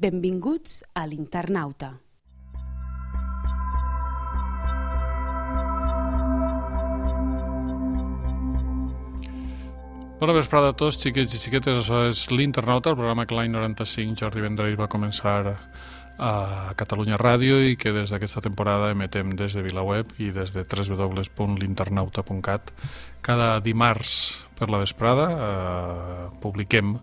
Benvinguts a l'Internauta. Bona vesprada a tots, xiquets i xiquetes. Això és l'Internauta, el programa que l'any 95 Jordi Vendrell va començar a Catalunya Ràdio i que des d'aquesta temporada emetem des de VilaWeb i des de www.l'internauta.cat. Cada dimarts per la vesprada publiquem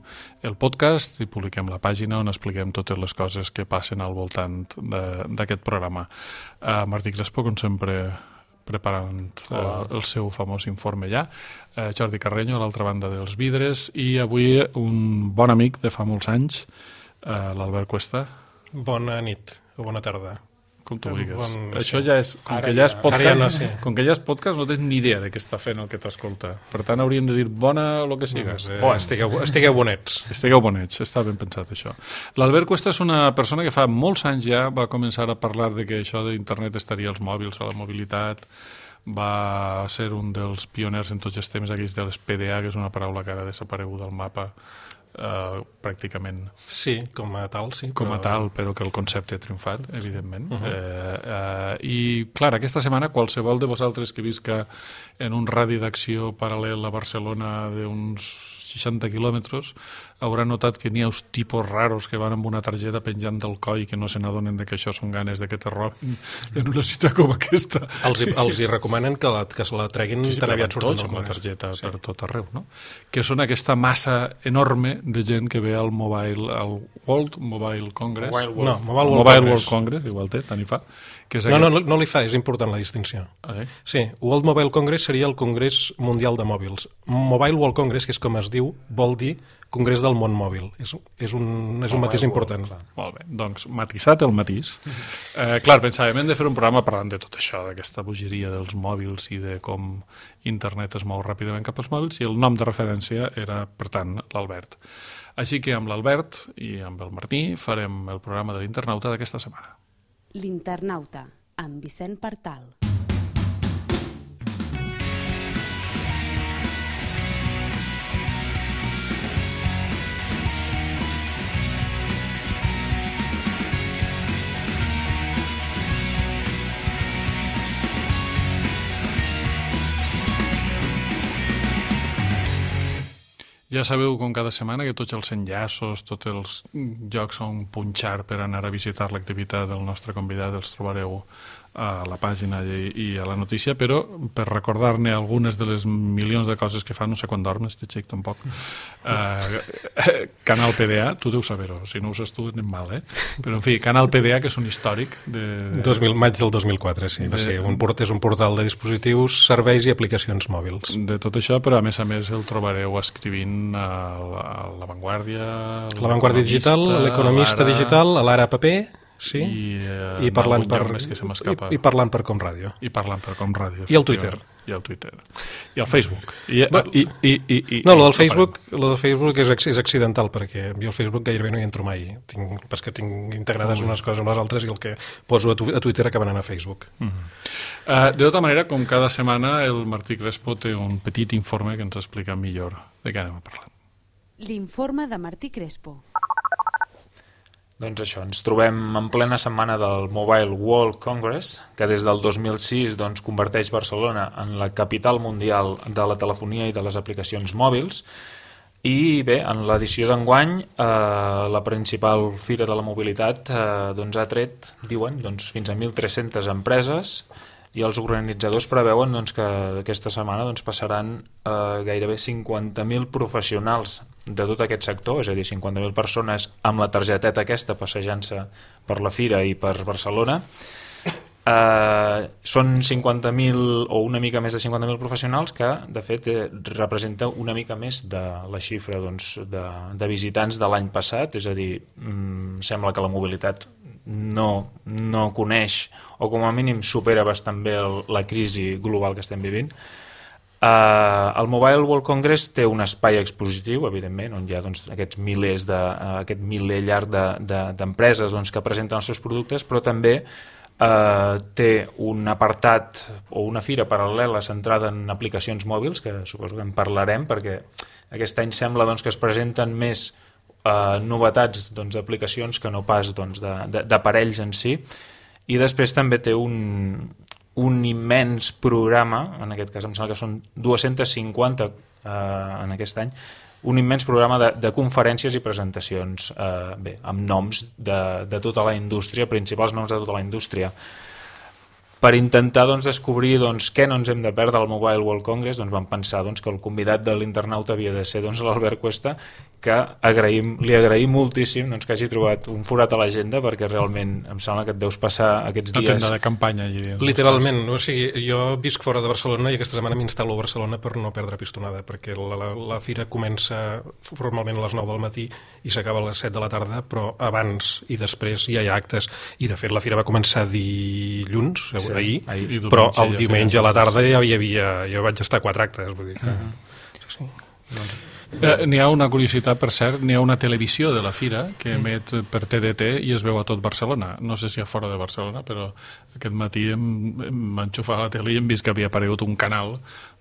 el podcast i publiquem la pàgina on expliquem totes les coses que passen al voltant d'aquest programa. Martí Crespo, com sempre, preparant el seu famós informe ja. Jordi Carreño, a l'altra banda dels vidres, i avui un bon amic de fa molts anys, l'Albert Cuesta. Bona nit o bona tarda. Com tu vulguis. Això ja és... Com que ja és podcast, no tens ni idea de què està fent el que t'escolta. Per tant, hauríem de dir bona o el que sigues. Estigueu bonets. Estigueu bonets, està ben pensat això. L'Albert Cuesta és una persona que fa molts anys ja va començar a parlar de que això d'internet estaria als mòbils, a la mobilitat. Va ser un dels pioners en tots els temes aquells de les PDA, que és una paraula que ara ha desaparegut del mapa pràcticament. Sí, com a tal, sí. Com a tal, però que el concepte ha triomfat, evidentment. I, clar, aquesta setmana qualsevol de vosaltres que visca en un radi d'acció paral·lel a Barcelona d'uns 60 quilòmetres haurà notat que n'hi ha uns tipus raros que van amb una targeta penjant del coll que no se n'adonen que això són ganes de que te robin en una ciutat com aquesta. Els hi recomanen que se la treguin tan aviat surten amb la targeta per tot arreu, no? Que són aquesta massa enorme de gent que ve al World Mobile Congress. Mobile World Congress, igual té, tant hi fa. No li fa, és important la distinció. Sí, World Mobile Congress seria el Congrés Mundial de Mòbils. Mobile World Congress, que és com es diu, vol dir Congrés del Món Mòbil. És un matís important. Molt bé, doncs matisat el matís. Clar, pensàvem, hem de fer un programa parlant de tot això, d'aquesta bogeria dels mòbils i de com internet es mou ràpidament cap als mòbils, i el nom de referència era, per tant, l'Albert. Així que amb l'Albert i amb el Martí farem el programa de l'Internauta d'aquesta setmana. L'Internauta, amb Vicent Partal. Ja sabeu, com cada setmana, que tots els enllaços, tots els llocs on punxar per anar a visitar l'activitat del nostre convidat els trobareu a la pàgina i a la notícia, però per recordar-ne algunes de les milions de coses que fa, no sé quan dorm, este xic tampoc. Canal PDA, tu deus saber-ho, si no ho saps tu anem mal, però en fi, Canal PDA, que és un històric maig del 2004, sí, és un portal de dispositius, serveis i aplicacions mòbils. De tot això, però a més el trobareu escrivint a La Vanguardia Digital, a l'Economista Digital, a l'Ara Paper. Sí, i parlant per Com Ràdio. I el Twitter. I el Facebook. No, el del Facebook és accidental, perquè jo al Facebook gairebé no hi entro mai. Perquè tinc integrades unes coses amb les altres i el que poso a Twitter acaba anant a Facebook. De tota manera, com cada setmana, el Martí Crespo té un petit informe que ens explica millor de què anem a parlar. L'informe de Martí Crespo. Doncs això, ens trobem en plena setmana del Mobile World Congress, que des del 2006 converteix Barcelona en la capital mundial de la telefonia i de les aplicacions mòbils. I bé, en l'edició d'enguany, la principal fira de la mobilitat ha tret, diuen, fins a 1.300 empreses, i els organitzadors preveuen que aquesta setmana passaran gairebé 50.000 professionals de tot aquest sector, és a dir, 50.000 persones amb la targeteta aquesta passejant-se per la fira i per Barcelona. Són 50.000 o una mica més de 50.000 professionals que, de fet, representa una mica més de la xifra de visitants de l'any passat, és a dir, sembla que la mobilitat no coneix o com a mínim supera bastant bé la crisi global que estem vivint. El Mobile World Congress té un espai expositiu, evidentment, on hi ha aquest miler llarg d'empreses que presenten els seus productes, però també té un apartat o una fira paral·lela centrada en aplicacions mòbils, que suposo que en parlarem, perquè aquest any sembla que es presenten més novetats d'aplicacions que no pas d'aparells en si, i després també té un immens programa, en aquest cas em sembla que són 250 en aquest any, un immens programa de conferències i presentacions amb noms de tota la indústria, principals noms de tota la indústria. Per intentar descobrir què no ens hem de perdre al Mobile World Congress, vam pensar que el convidat de l'internauta havia de ser l'Albert Cuesta, que li agraïm moltíssim que hagi trobat un forat a l'agenda, perquè realment em sembla que et deus passar aquests dies... La tenda de campanya allí. Literalment, o sigui, jo visc fora de Barcelona i aquesta setmana m'instal·lo a Barcelona per no perdre pistonada, perquè la fira comença formalment a les 9 del matí i s'acaba a les 7 de la tarda, però abans i després ja hi ha actes, i de fet la fira va començar dilluns, ahir, però el diumenge a la tarda jo vaig estar a 4 actes, vull dir que... Sí. N'hi ha una curiositat, per cert, n'hi ha una televisió de la fira que emet per TDT i es veu a tot Barcelona. No sé si a fora de Barcelona, però aquest matí em enxufar a la tele i hem vist que havia aparegut un canal,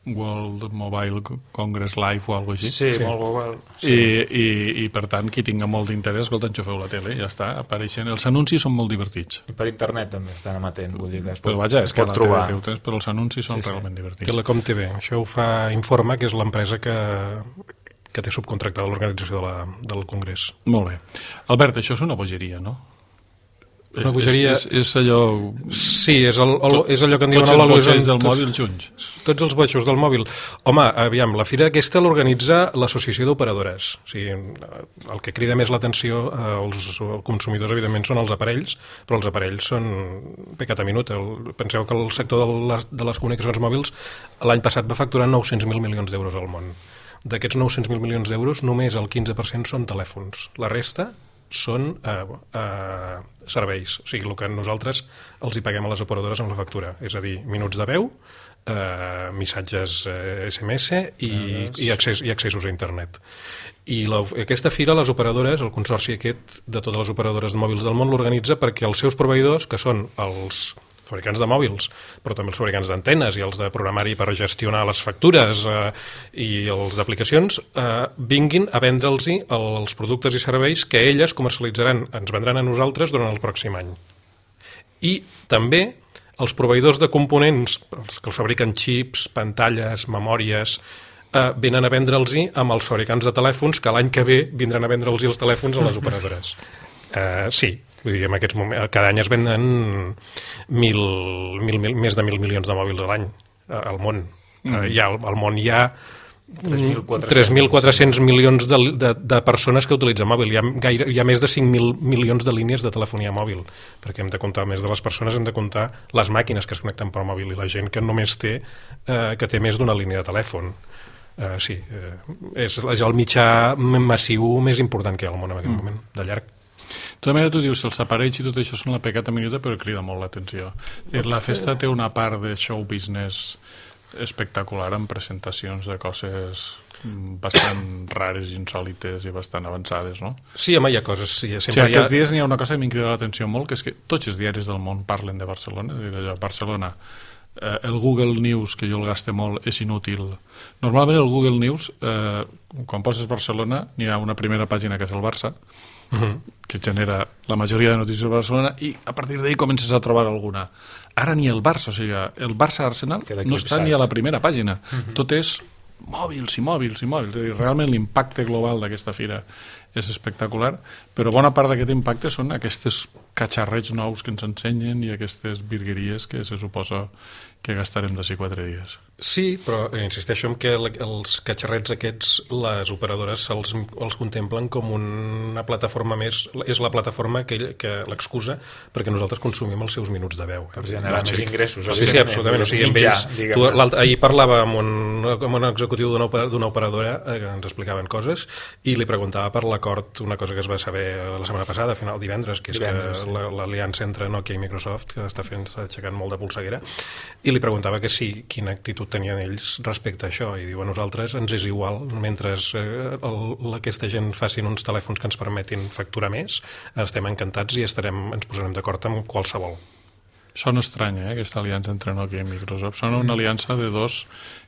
World Mobile Congress Live o alguna cosa així. Sí, molt Google. I per tant, qui tinga molt d'interès, escolta, enxufeu la tele, ja està, apareixen. Els anuncis són molt divertits. I per internet també estan amatent, vull dir que però vaja, és que la tele té temps, però els anuncis són realment divertits. Que la ComTV, això ho fa Informa, que és l'empresa que té subcontractada l'organització del Congrés. Molt bé. Albert, això és una bogeria, no? Una bogeria... És allò... Sí, és allò que en diuen... Tots els botxes del mòbil junts. Tots els botxos del mòbil. Home, aviam, la fira aquesta l'organitza l'Associació d'Operadores. O sigui, el que crida més l'atenció als consumidors, evidentment, són els aparells, però els aparells són pecat a minut. Penseu que el sector de les comunicacions mòbils l'any passat va facturar 900.000 milions d'euros al món. D'aquests 900.000 milions d'euros, només el 15% són telèfons. La resta són serveis. O sigui, el que nosaltres els hi paguem a les operadores amb la factura. És a dir, minuts de veu, missatges SMS i accessos a internet. I aquesta fira, les operadores, el consorci aquest de totes les operadores de mòbils del món l'organitza perquè els seus proveïdors, que són els fabricants de mòbils, però també els fabricants d'antenes i els de programari per gestionar les factures i els d'aplicacions, vinguin a vendre'ls els productes i serveis que elles comercialitzaran, ens vendran a nosaltres durant el pròxim any. I també els proveïdors de components, els que els fabriquen xips, pantalles, memòries, venen a vendre'ls amb els fabricants de telèfons, que l'any que ve vindran a vendre'ls els telèfons a les operadores. Sí, vull dir, en aquests moments, cada any es venden més de 1.000 milions de mòbils a l'any al món. Al món hi ha 3.400 milions de persones que utilitzen mòbil. Hi ha més de 5.000 milions de línies de telefonia mòbil, perquè hem de comptar, a més de les persones, hem de comptar les màquines que es connecten per mòbil i la gent que només té més d'una línia de telèfon. Sí, és el mitjà massiu més important que hi ha al món en aquest moment, de llarg. De tota manera, tu dius, els aparells i tot això són la pecata minuta, però crida molt l'atenció. La festa té una part de show business espectacular, amb presentacions de coses bastant rares, insòlites i bastant avançades, no? Sí, home, hi ha coses... Aquests dies n'hi ha una cosa que m'ha cridat l'atenció molt, que és que tots els diaris del món parlen de Barcelona, Barcelona. El Google News, que jo el gaste molt, és inútil. Normalment el Google News, quan poses Barcelona, n'hi ha una primera pàgina que és el Barça, que genera la majoria de notícies de Barcelona, i a partir d'ahir comences a trobar alguna. Ara ni el Barça, o sigui, el Barça-Arsenal no està ni a la primera pàgina. Tot és mòbils i mòbils i mòbils. Realment l'impacte global d'aquesta fira és espectacular, però bona part d'aquest impacte són aquests catxarrets nous que ens ensenyen i aquestes virgueries que se suposa que gastarem d'ací 4 dies. Sí, però insisteixo en que els catxarrets aquests, les operadores els contemplen com una plataforma més, és la plataforma que l'excusa perquè nosaltres consumim els seus minuts de veu. Per generar més ingressos. Sí, absolutament. O sigui, amb ells, ahir parlava amb un executiu d'una operadora que ens explicaven coses i li preguntava per l'acord, una cosa que es va saber la setmana passada, a final divendres, que és que l'aliança entre Nokia i Microsoft, que està aixecant molt de polseguera, i li preguntava que sí, quina actitud tenien ells respecte a això, i diu, a nosaltres ens és igual, mentre aquesta gent facin uns telèfons que ens permetin facturar més, estem encantats i ens posarem d'acord amb qualsevol. Sona estrany, aquesta aliança entre Nokia i Microsoft. Sona una aliança de dos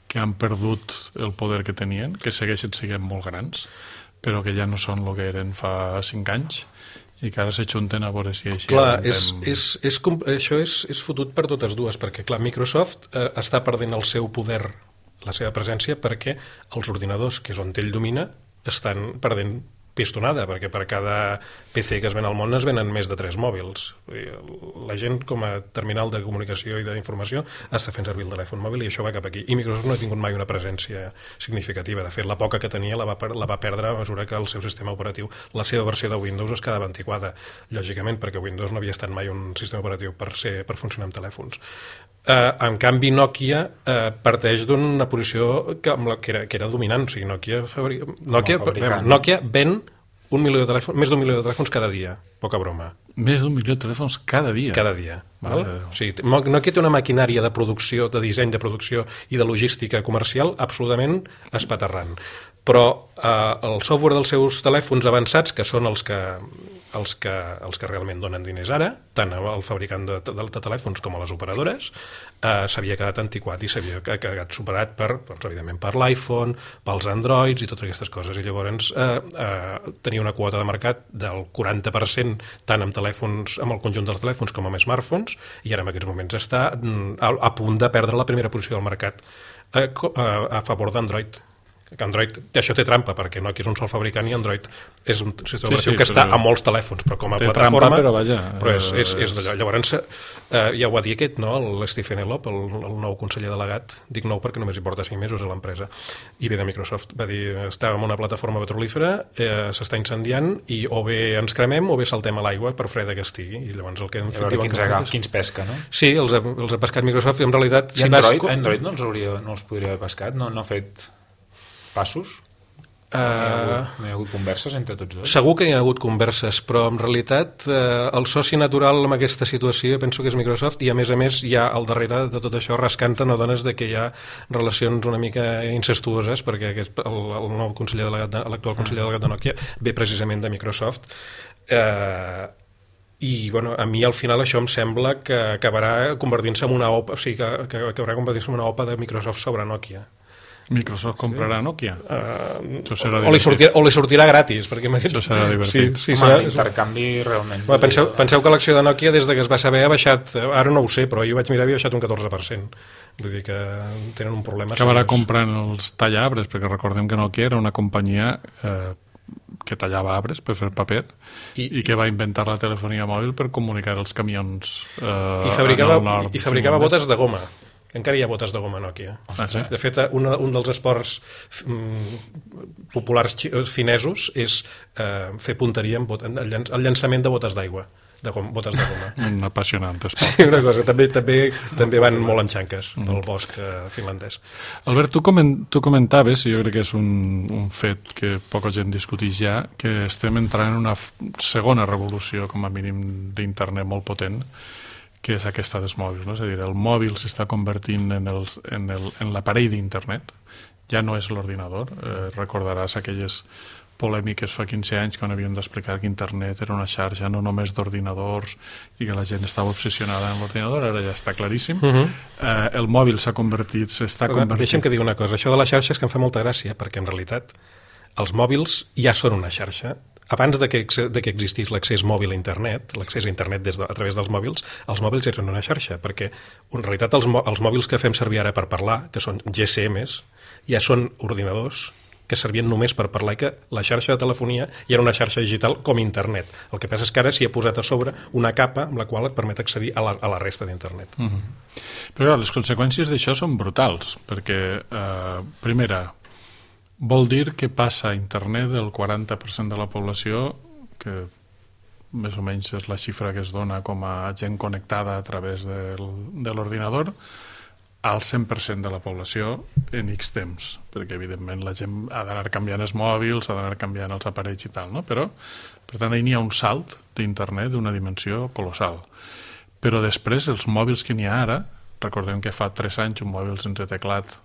que han perdut el poder que tenien, que segueixen sent molt grans, però que ja no són el que eren fa 5 anys i que ara s'ajunten a veure si així... Clar, això és fotut per totes dues, perquè clar, Microsoft està perdent el seu poder, la seva presència, perquè els ordinadors, que és on ell domina, estan perdent pistonada, perquè per cada PC que es ven al món es venen més de 3 mòbils. La gent, com a terminal de comunicació i d'informació, està fent servir el telèfon mòbil i això va cap aquí. I Microsoft no ha tingut mai una presència significativa. De fet, la poca que tenia la va perdre a mesura que el seu sistema operatiu, la seva versió de Windows, es quedava antiquada, lògicament, perquè Windows no havia estat mai un sistema operatiu per funcionar amb telèfons. En canvi, Nokia parteix d'una posició que era dominant. O sigui, Nokia ven més d'un milió de telèfons cada dia. Poca broma. Més d'un milió de telèfons cada dia? Cada dia. O sigui, Nokia té una maquinària de producció, de disseny de producció i de logística comercial absolutament espaterrant. Però el software dels seus telèfons avançats, que són els que realment donen diners ara, tant al fabricant de telèfons com a les operadores, s'havia quedat antiquat i s'havia quedat superat evidentment per l'iPhone, pels Androids i totes aquestes coses. I llavors tenia una quota de mercat del 40% tant amb el conjunt dels telèfons com amb smartphones, i ara en aquests moments està a punt de perdre la primera posició del mercat a favor d'Android. Que Android, això té trampa, perquè Nokia és un sol fabricant i Android és un sistema operatiu que està a molts telèfons, però com a plataforma... Trampa, però vaja... Però és d'allò. Llavors, ja ho va dir aquest, no?, el Stephen Elop, el nou conseller delegat, dic nou perquè només hi porta 5 mesos a l'empresa, i ve de Microsoft, va dir, estàvem en una plataforma petrolífera, s'està incendiant, i o bé ens cremem o bé saltem a l'aigua per freda que estigui, i llavors el que hem fet... Quins pesca, no? Sí, els ha pescat Microsoft, i en realitat... I Android no els podria haver pescat? No ha fet... passos? No hi ha hagut converses entre tots dos? Segur que hi ha hagut converses, però en realitat el soci natural en aquesta situació penso que és Microsoft, i a més hi ha al darrere de tot això rascant a dones de que hi ha relacions una mica incestuoses, perquè el nou conseller delegat, l'actual conseller delegat de Nokia ve precisament de Microsoft, i bueno, a mi al final això em sembla que acabarà convertint-se en una OPA, o sigui, que acabarà convertint-se en una OPA de Microsoft sobre Nokia. Microsoft comprarà Nokia? O li sortirà gratis, perquè això serà divertit. L'intercanvi realment... Penseu que l'acció de Nokia des que es va saber ha baixat, ara no ho sé, però jo vaig mirar, havia baixat un 14%. Vull dir que tenen un problema. Acabarà comprant els tallarbres, perquè recordem que Nokia era una companyia que tallava arbres per fer paper i que va inventar la telefonia mòbil per comunicar els camions i fabricava botes de goma. Encara hi ha botes de goma Nokia. Sí? De fet, un dels esports populars finesos és fer punteria amb el llançament de botes d'aigua, botes de goma. Un apassionant esport. Sí, una cosa. També van molt enxanques pel bosc finlandès. Albert, tu comentaves, i jo crec que és un fet que poca gent discuteix ja, que estem entrant en una segona revolució, com a mínim, d'internet molt potent, que és aquesta dels mòbils, no? És a dir, el mòbil s'està convertint en l'aparell d'internet, ja no és l'ordinador. Recordaràs aquelles polèmiques fa 15 anys quan havien d'explicar que internet era una xarxa no només d'ordinadors i que la gent estava obsessionada amb l'ordinador, ara ja està claríssim. El mòbil s'està convertint... Deixa'm que digui una cosa, això de la xarxa és que em fa molta gràcia, perquè en realitat els mòbils ja són una xarxa. Abans de que existís l'accés mòbil a internet, l'accés a internet a través dels mòbils, els mòbils eren una xarxa, perquè en realitat els mòbils que fem servir ara per parlar, que són GSMs, ja són ordinadors que servien només per parlar, i que la xarxa de telefonia ja era una xarxa digital com internet. El que passa és que ara s'hi ha posat a sobre una capa amb la qual et permet accedir a la resta d'internet. Però les conseqüències d'això són brutals, perquè, primera, vol dir que passa a internet del 40% de la població, que més o menys és la xifra que es dona com a gent connectada a través de l'ordinador, al 100% de la població en X temps, perquè evidentment la gent ha d'anar canviant els mòbils, ha d'anar canviant els aparells i tal, no? Però, per tant, hi ha un salt d'internet d'una dimensió colossal. Però després, els mòbils que n'hi ha ara, recordem que fa 3 anys un mòbil sense teclat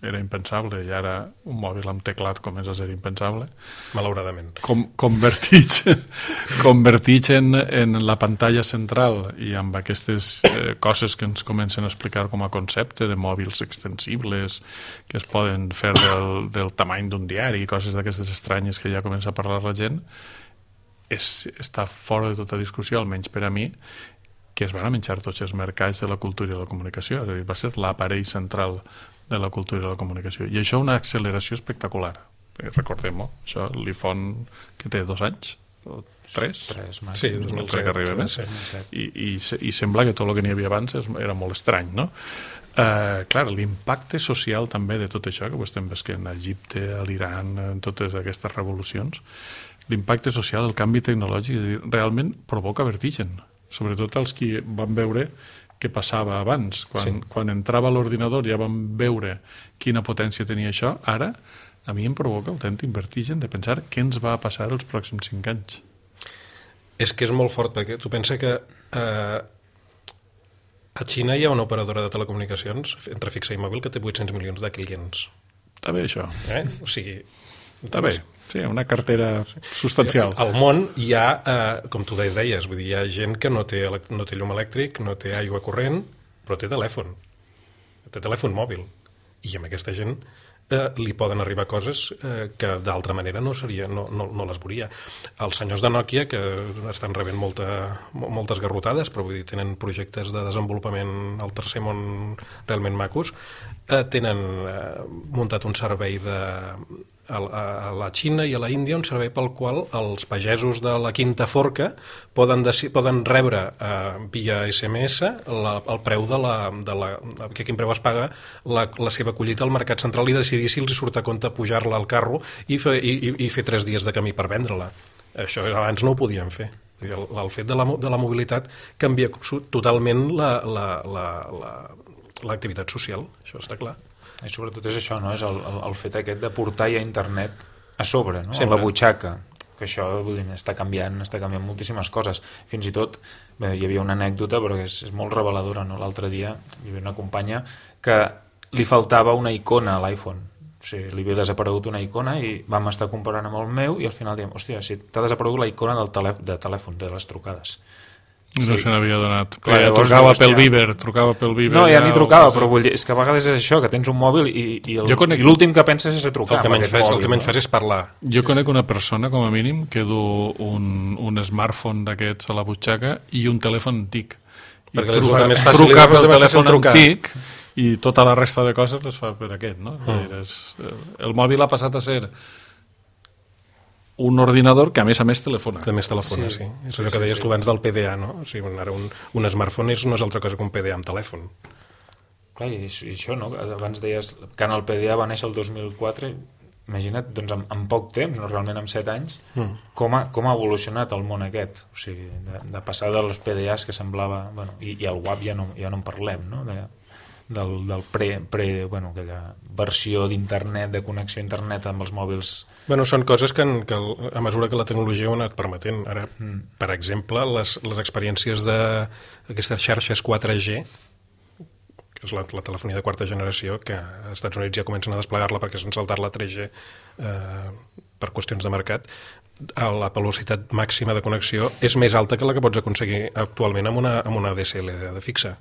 era impensable, i ara un mòbil amb teclat comença a ser impensable. Malauradament. Convertits en la pantalla central i amb aquestes coses que ens comencen a explicar com a concepte de mòbils extensibles que es poden fer del tamany d'un diari, coses d'aquestes estranyes que ja comença a parlar la gent, està fora de tota discussió, almenys per a mi, que es van menjar tots els mercats de la cultura i la comunicació, és a dir, va ser l'aparell central de la cultura i la comunicació. I això una acceleració espectacular. Recordem-ho, això l'iPhone que té 2 anys, o 3? 3, sí, 2007. I sembla que tot el que n'hi havia abans era molt estrany, no? Clar, l'impacte social també de tot això, que ho estem veient a Egipte, a l'Iran, en totes aquestes revolucions, l'impacte social, el canvi tecnològic, realment provoca vertigen, sobretot els que van veure què passava abans. Quan entrava a l'ordinador ja vam veure quina potència tenia això. Ara, a mi em provoca autèntic vertigen de pensar què ens va passar els pròxims 5 anys. És que és molt fort, perquè tu pensa que a Xina hi ha una operadora de telecomunicacions entre fixa i mòbil que té 800 milions de clients. Està bé, això. O sigui... Està bé. Sí, una cartera substancial. Al món hi ha, com tu deies, vull dir, hi ha gent que no té llum elèctric, no té aigua corrent, però té telèfon mòbil. I amb aquesta gent li poden arribar coses que d'altra manera no les veuria. Els senyors de Nokia, que estan rebent moltes garrotades, però vull dir, tenen projectes de desenvolupament al tercer món realment macos, tenen muntat un servei a la Xina i a la Índia, un servei pel qual els pagesos de la Quinta Forca poden rebre via SMS el preu que quin preu es paga la seva collita al mercat central i decidir si els surt a compte pujar-la al carro i fer 3 dies de camí per vendre-la. Això abans no ho podien fer. El fet de la mobilitat canvia totalment l'activitat social, això està clar. I sobretot és això, no? És el fet aquest de portar ja internet a sobre, no? Sempre. A la butxaca, que això està canviant moltíssimes coses. Fins i tot, hi havia una anècdota, però que és molt reveladora, no? L'altre dia hi havia una companya que li faltava una icona a l'iPhone. O sigui, li havia desaparegut una icona i vam estar comparant amb el meu i al final diem, hòstia, si t'ha desaparegut la icona de telèfon, de les trucades. No se n'havia donat. Clar, Trucava pel Viber. No, ja ni trucava, però vull dir, és que a vegades és això, que tens un mòbil i l'últim que penses és a trucar. El que menys fas és parlar. Jo conec una persona, com a mínim, que du un smartphone d'aquests a la butxaca i un telèfon antic. Perquè truca pel telèfon antic i tota la resta de coses les fa per aquest, no? El mòbil ha passat a ser un ordinador que a més telefona. A més telefona, sí. És allò que deies tu abans del PDA, no? O sigui, ara un smartphone no és altra cosa que un PDA amb telèfon. Clar, i això, no? Abans deies que en el PDA va néixer el 2004, imagina't, doncs en poc temps, no realment en 7 anys, com ha evolucionat el món aquest. O sigui, de passar dels PDAs que semblava... Bueno, i el WAP ja no en parlem, no? Del aquella versió d'internet, de connexió a internet amb els mòbils. Bueno, són coses que a mesura que la tecnologia ho ha anat permetent. Ara, per exemple, les experiències d'aquestes xarxes 4G, que és la telefonia de quarta generació, que als Estats Units ja comencen a desplegar-la perquè s'han saltat la 3G per qüestions de mercat, la velocitat màxima de connexió és més alta que la que pots aconseguir actualment amb una DSL de fixa.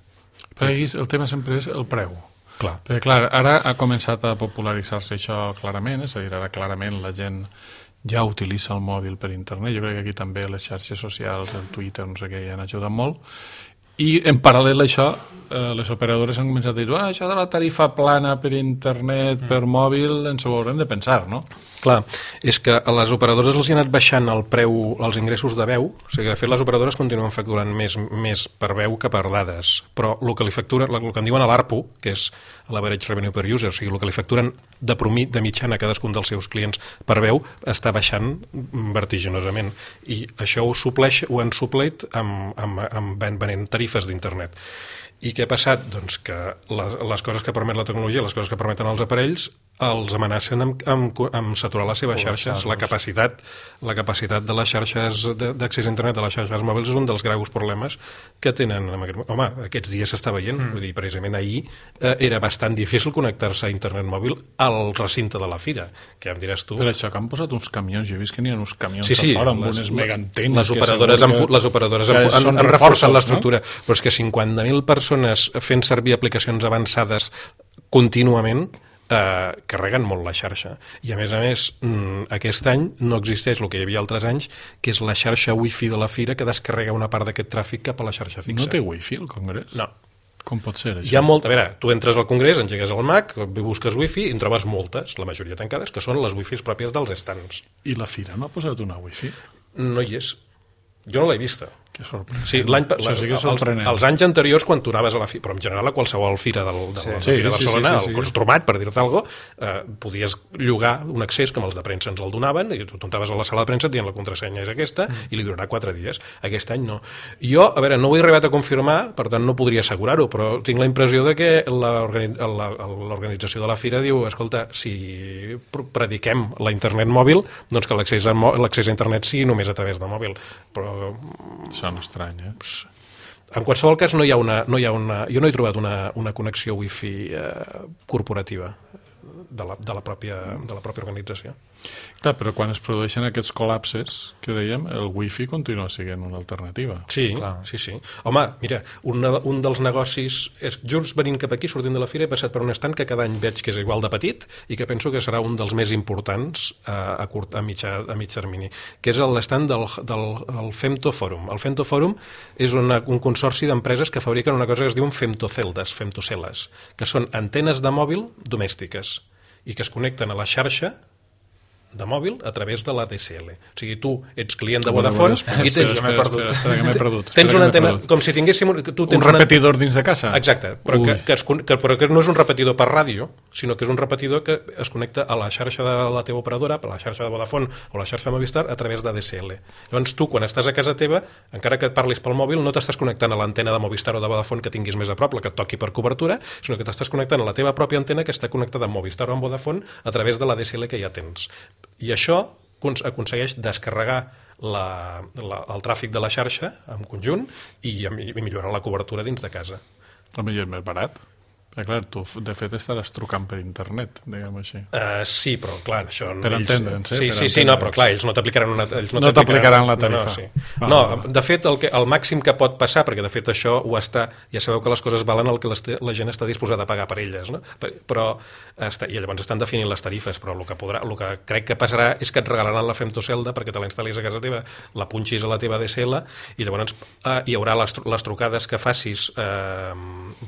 Però el tema sempre és el preu. Clar. Perquè, clar, ara ha començat a popularitzar-se això clarament, és a dir, ara clarament la gent ja utilitza el mòbil per internet. Jo crec que aquí també les xarxes socials, el Twitter, no sé què, ja han ajudat molt. I en paral·lel a això, les operadores han començat a dir això de la tarifa plana per internet, per mòbil, ens ho haurem de pensar, no? Clar, és que a les operadores els hi ha anat baixant el preu, els ingressos de veu, o sigui, de fet les operadores continuen facturant més per veu que per dades, però el que li facturen, el que en diuen a l'ARPU, que és l'Average Revenue per User, o sigui, el que li facturen de mitjana a cadascun dels seus clients per veu, està baixant vertiginosament, i això ho han suplert amb venent tarifes d'internet. I què ha passat? Doncs que les coses que permet la tecnologia, les coses que permeten els aparells, els amenacen amb saturar les seves xarxes. La capacitat de les xarxes d'accés a internet, de les xarxes mòbils, és un dels greus problemes que tenen. Home, aquests dies s'està veient. Vull dir, precisament ahir era bastant difícil connectar-se a internet mòbil al recinte de la fira, que ja em diràs tu. Per això que han posat uns camions, jo he vist que n'hi ha uns camions a fora amb unes megaantenes. Les operadores han reforçat l'estructura, però és que 50.000 persones fent servir aplicacions avançades contínuament carreguen molt la xarxa. I a més, aquest any no existeix el que hi havia altres anys, que és la xarxa wifi de la fira que descarrega una part d'aquest tràfic cap a la xarxa fixa. No té wifi el Congrés? No. Com pot ser, això? Hi ha a veure, tu entres al Congrés, engegues el Mac, busques wifi i en trobes moltes, la majoria tancades, que són les wifis pròpies dels stands. I la fira no ha posat una wifi? No hi és. Jo no l'he vista. Que sorprenent. Sí, els anys anteriors, quan tu anaves a la fira, però en general a qualsevol fira de la Fira de Barcelona, al Costromat, per dir-te alguna cosa, podies llogar un accés, com els de premsa ens el donaven, i tu anaves a la sala de premsa dient la contrasenya és aquesta, i li durarà 4 dies. Aquest any no. Jo, a veure, no ho he arribat a confirmar, per tant no podria assegurar-ho, però tinc la impressió de que l'organització de la fira diu, escolta, si prediquem la internet mòbil, doncs que l'accés a internet sigui només a través de mòbil. Però sona estrany, En qualsevol cas, jo no he trobat una connexió wifi corporativa de la pròpia organització. Clar, però quan es produeixen aquests col·lapses que dèiem, el wifi continua sent una alternativa. Sí, sí. Home, mira, un dels negocis just venint cap aquí, sortint de la fira, he passat per un estand que cada any veig que és igual de petit i que penso que serà un dels més importants a mig termini, que és l'esstand del Femto Forum. El Femto Forum és un consorci d'empreses que fabriquen una cosa que es diuen femtoceles, que són antenes de mòbil domèstiques i que es connecten a la xarxa de mòbil a través de la DSL. O sigui, tu ets client de Vodafone i tens una antena, com si tinguéssim... Un repetidor dins de casa? Exacte, però que no és un repetidor per ràdio, sinó que és un repetidor que es connecta a la xarxa de la teva operadora, per la xarxa de Vodafone o la xarxa de Movistar, a través de DSL. Llavors tu, quan estàs a casa teva, encara que et parlis pel mòbil, no t'estàs connectant a l'antena de Movistar o de Vodafone que tinguis més a prop, la que et toqui per cobertura, sinó que t'estàs connectant a la teva pròpia antena que està connectada amb Movistar o amb Vodafone a través de la DSL que ja tens. I això aconsegueix descarregar el tràfic de la xarxa en conjunt i millorar la cobertura dins de casa. Home, i és més barat. Clar, tu de fet estaràs trucant per internet, diguem així. Sí, però clar, això... Per entendre'ns, Sí, no, però clar, ells no t'aplicaran no t'aplicaran la tarifa. No, de fet, el màxim que pot passar, perquè de fet això ho està... Ja sabeu que les coses valen el que la gent està disposada a pagar per elles, no? Però i llavors estan definint les tarifes, però el que crec que passarà és que et regalaran la femtocelda perquè te la instal·lis a casa teva, la punxis a la teva DSL i llavors hi haurà les trucades que facis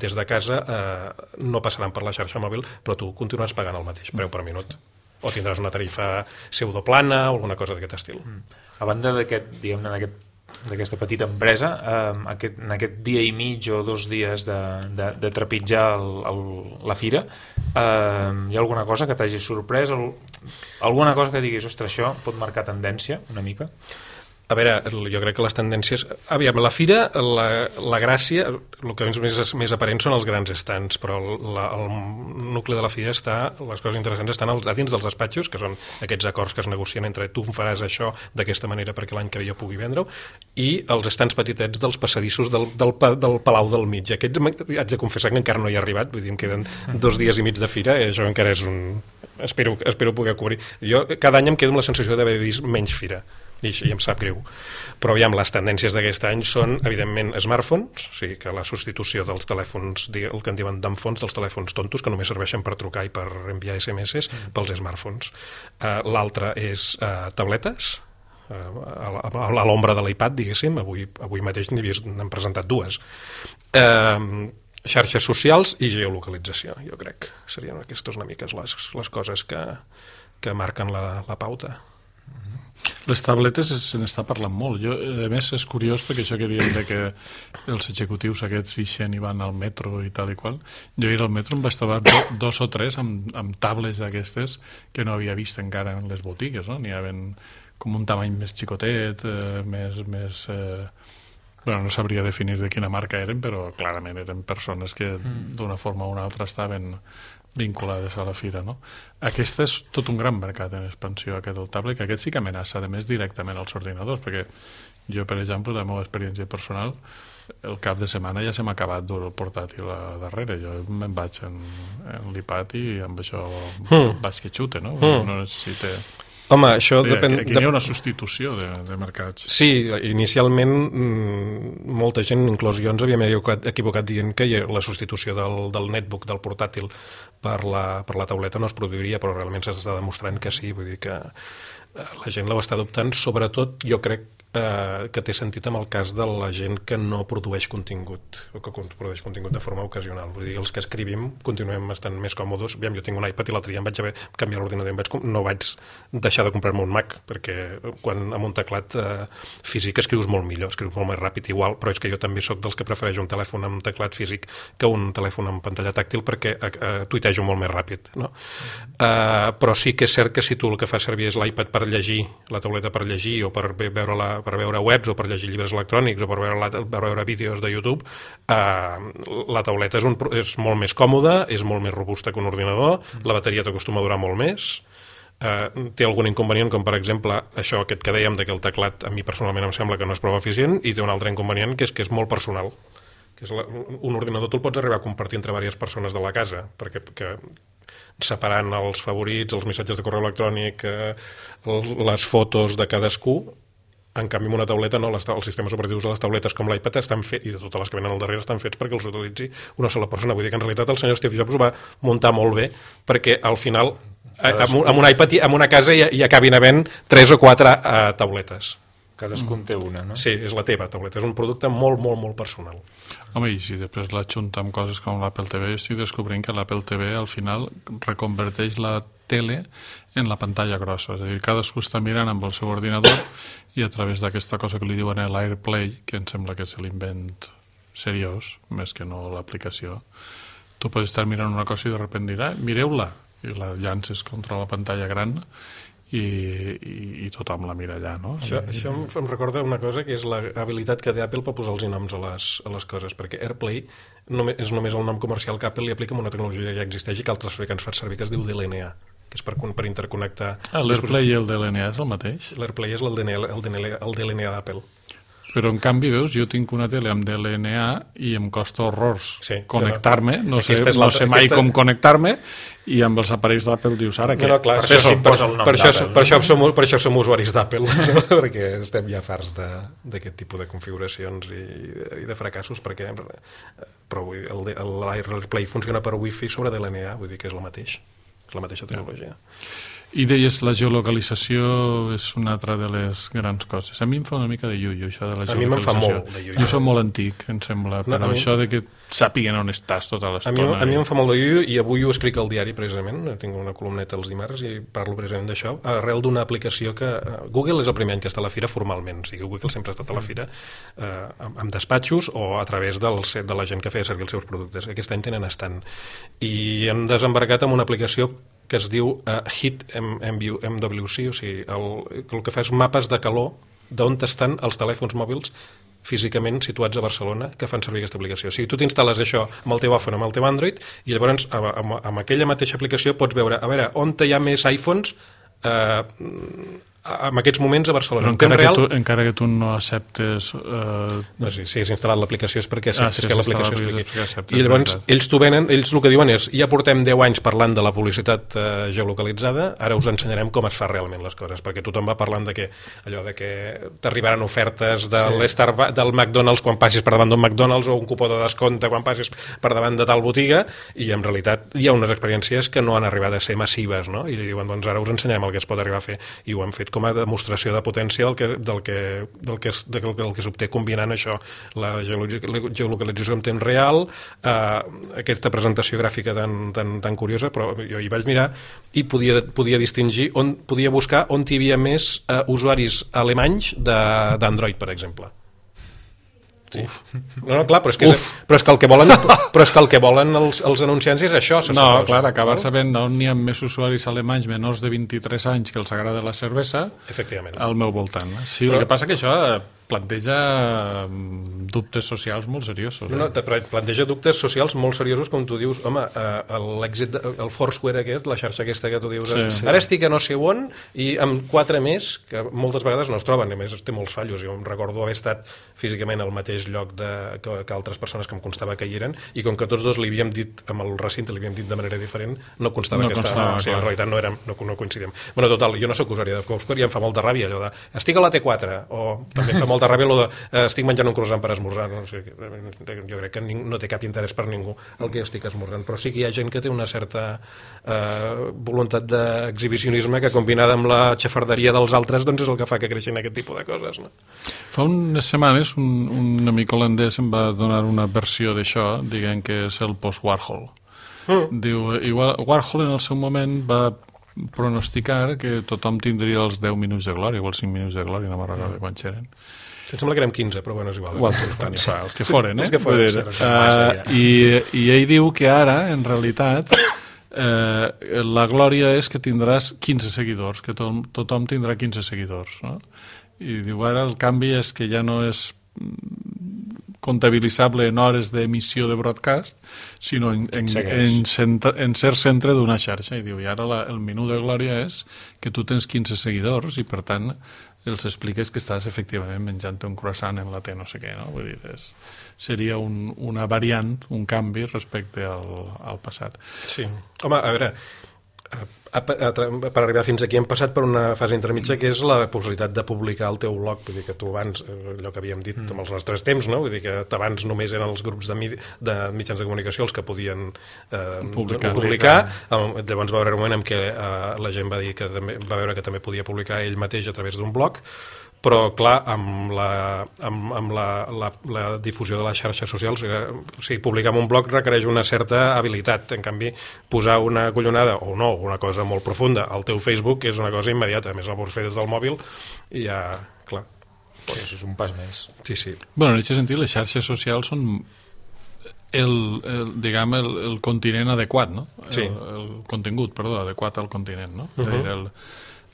des de casa no passaran per la xarxa mòbil, però tu continues pagant el mateix preu per minut. O tindràs una tarifa pseudoplana o alguna cosa d'aquest estil. A banda d'aquesta petita empresa, en aquest dia i mig o 2 dies de trepitjar la fira, hi ha alguna cosa que t'hagi sorprès? Alguna cosa que diguis, ostres, això pot marcar tendència una mica? A veure, jo crec que les tendències... Aviam, la fira, la gràcia, el que més aparent són els grans estants, però el nucli de la fira les coses interessants estan a dins dels despatxos, que són aquests acords que es negocien entre tu faràs això d'aquesta manera perquè l'any que ve jo pugui vendre-ho, i els estants petitets dels passadissos del Palau del Mig. Aquests haig de confessar que encara no hi he arribat, vull dir, em queden 2 dies i mig de fira, i això encara és un... Espero poder cobrir. Jo cada any em quedo amb la sensació d'haver vist menys fira, i em sap greu. Però aviam, les tendències d'aquest any són, evidentment, smartphones, o sigui que la substitució dels telèfons, el que en diuen dumb phones, dels telèfons tontos, que només serveixen per trucar i per enviar SMS, pels smartphones. L'altre és tabletes, a l'ombra de l'iPad, diguéssim, avui mateix n'hem presentat 2. Xarxes socials i geolocalització, jo crec. Serien aquestes una mica les coses que marquen la pauta. Les tabletes se n'està parlant molt. A més, és curiós perquè això que diem que els executius aquests ixen i van al metro i tal i qual. Jo ahir al metro em vaig trobar 2 o 3 amb tablets d'aquestes que no havia vist encara en les botigues, no? N'hi havia com un tamany més xicotet, més Bueno, no sabria definir de quina marca eren, però clarament eren persones que d'una forma o una altra estaven vinculades a la fira, no? Aquest és tot un gran mercat en expansió, aquest del tablet, que aquest sí que amenaça, a més, directament als ordinadors, perquè jo, per exemple, la meva experiència personal, el cap de setmana ja se m'ha acabat dur el portàtil a darrere. Jo me'n vaig en l'iPad i amb això vaig que xute, no? No necessita... Home, això depèn... Aquí hi ha una substitució de mercats. Sí, inicialment molta gent, inclús jo, ens havíem equivocat dient que la substitució del netbook, del portàtil, per la tauleta no es produiria, però realment s'està demostrant que sí, vull dir que la gent l'ho està adoptant, sobretot jo crec que té sentit amb el cas de la gent que no produeix contingut o que produeix contingut de forma ocasional. Vull dir, els que escrivim continuem estant més còmodes. Aviam, jo tinc un iPad i l'altre dia em vaig haver canviar l'ordinador i no vaig deixar de comprar-me un Mac, perquè quan amb un teclat físic escrius molt millor, escrius molt més ràpid igual, però és que jo també sóc dels que prefereix un telèfon amb teclat físic que un telèfon amb pantalla tàctil perquè tuitejo molt més ràpid, no? Però sí que és cert que si tu el que fas servir és l'iPad per llegir, la tauleta per llegir o per veure webs o per llegir llibres electrònics o per veure vídeos de YouTube, la tauleta és molt més còmoda, és molt més robusta que un ordinador, la bateria t'acostuma a durar molt més, té algun inconvenient, com per exemple aquest que dèiem, que el teclat a mi personalment em sembla que no és prou eficient, i té un altre inconvenient que és molt personal, que és un ordinador tu el pots arribar a compartir entre diverses persones de la casa, perquè separant els favorits, els missatges de correu electrònic, les fotos de cadascú. En canvi, amb una tauleta no, els sistemes operatius de les tauletes com l'iPad estan fets, i de totes les que venen al darrere estan fets perquè els utilitzi una sola persona. Vull dir que en realitat el senyor Steve Jobs ho va muntar molt bé, perquè al final amb un iPad en una casa hi acabin havent 3 o 4 tauletes. Cadascun té una, no? Sí, és la teva tauleta, és un producte molt, molt, molt personal. Home, i si després l'adjunta amb coses com l'Apple TV, jo estic descobrint que l'Apple TV al final reconverteix la tele en la pantalla grossa, és a dir, cadascú està mirant amb el seu ordinador i a través d'aquesta cosa que li diuen l'AirPlay, que em sembla que és l'invent seriós, més que no l'aplicació, tu pots estar mirant una cosa i de sobte dirà, mireu-la, i la llances contra la pantalla gran i tothom la mira allà, no? Això em recorda una cosa, que és l'habilitat que té Apple per posar els noms a les coses, perquè AirPlay és només el nom comercial que Apple li aplica amb una tecnologia que ja existeix i que altres fabricants fan servir, que es diu DLNA, que és per interconnectar... L'AirPlay i el DLNA és el mateix? L'AirPlay és el DLNA d'Apple. Però en canvi, veus, jo tinc una tele amb DLNA i em costa horrors connectar-me, no sé mai com connectar-me, i amb els aparells d'Apple dius ara que... Per això som usuaris d'Apple, perquè estem ja farts d'aquest tipus de configuracions i de fracassos, però l'AirPlay funciona per Wi-Fi sobre DLNA, vull dir que és el mateix, és la mateixa tecnologia. I deies, la geolocalització és una altra de les grans coses. A mi em fa una mica de iullo, això de la geolocalització. A mi me'n fa molt de iullo. Jo soc molt antic, em sembla, però això de que sàpiguen on estàs tota l'estona. A mi em fa molt de iullo, i avui ho escric al diari, precisament, tinc una columneta els dimarts i parlo precisament d'això, arrel d'una aplicació que... Google és el primer any que està a la fira formalment, o sigui, Google sempre ha estat a la fira amb despatxos o a través de la gent que feia servir els seus productes. Aquest any tenen estant. I hem desembarcat amb una aplicació que es diu Heat MWC, o sigui, el que fa és mapes de calor d'on estan els telèfons mòbils físicament situats a Barcelona que fan servir aquesta aplicació. O sigui, tu t'instal·les això amb el teu iPhone, amb el teu Android, i llavors amb aquella mateixa aplicació pots veure, a veure, on hi ha més iPhones en aquests moments a Barcelona. Encara que tu no acceptes... Si has instal·lat l'aplicació és perquè acceptes que l'aplicació expliqui. I llavors ells t'ho venen, ells el que diuen és, ja portem 10 anys parlant de la publicitat geolocalitzada, ara us ensenyarem com es fa realment les coses, perquè tothom va parlant de que t'arribaran ofertes del McDonald's quan passis per davant d'un McDonald's o un cupó de descompte quan passis per davant de tal botiga, i en realitat hi ha unes experiències que no han arribat a ser massives, no? I diuen, doncs ara us ensenyarem el que es pot arribar a fer, i ho han fet com a demostració de potència del que s'obté combinant això, la geolocalització en temps real, aquesta presentació gràfica tan curiosa, però jo hi vaig mirar i podia distingir, podia buscar on hi havia més usuaris alemanys d'Android, per exemple. Sí. No, clar, però és que el que volen els anunciants és això. No, clar, acabar sabent on hi ha més usuaris alemanys menors de 23 anys que els agrada la cervesa al meu voltant. Sí, el que passa que això planteja dubtes socials molt seriosos. No, planteja dubtes socials molt seriosos, com tu dius, home, l'èxit, el Foursquare aquest, la xarxa aquesta que tu dius, ara estic a no sé on i amb 4 més, que moltes vegades no es troben, a més té molts fallos. Jo em recordo haver estat físicament al mateix lloc que altres persones que em constava que hi eren, i com que tots dos li havíem dit, amb el recinte li havíem dit de manera diferent, no constava que estava, o sigui, en realitat no coincidíem. Bueno, total, jo no soc usuari de Foursquare i em fa molta ràbia allò de estic a la T4, o també em fa molta ràbia allò de estic menjant un croissant per esmorzar, no? O sigui, jo crec que no té cap interès per ningú el que estic esmorzant, però sí que hi ha gent que té una certa voluntat d'exhibicionisme que combinada amb la xafarderia dels altres doncs és el que fa que creixin aquest tipus de coses, no? Fa unes setmanes un amic holandès em va donar una versió d'això dient que és el post-Warhol. Diu, Warhol en el seu moment va pronosticar que tothom tindria els 10 minuts de glòria o els 5 minuts de glòria, no me'n recordo quan eren. Em sembla que érem 15, però bueno, és igual. Els que foren, Els que foren. I ell diu que ara, en realitat, la glòria és que tindràs 15 seguidors, que tothom tindrà 15 seguidors, no? I diu, ara el canvi és que ja no és comptabilitzable en hores d'emissió de broadcast, sinó en ser centre d'una xarxa. I diu, i ara el menú de glòria és que tu tens 15 seguidors i, per tant, els expliques que estàs efectivament menjant un croissant en la T no sé què, no? Vull dir, seria una variant, un canvi respecte al passat. Sí. Home, a veure, per arribar fins aquí hem passat per una fase intermitja que és la possibilitat de publicar el teu blog. Vull dir que tu abans, allò que havíem dit amb els nostres temps, no? Vull dir que abans només eren els grups de mitjans de comunicació els que podien publicar. Llavors va haver un moment en què la gent va dir que va veure que també podia publicar ell mateix a través d'un blog, però clar, amb la difusió de les xarxes socials, o sigui, publicar en un blog requereix una certa habilitat. En canvi, posar una collonada o no, una cosa molt profunda al teu Facebook és una cosa immediata. A més, el pots fer des del mòbil i ja, clar. Pues és un pas més. Sí, sí. Bueno, en aquest sentit, les xarxes socials són el continent adequat, no? Sí. El contingut, perdó, adequat al continent, no?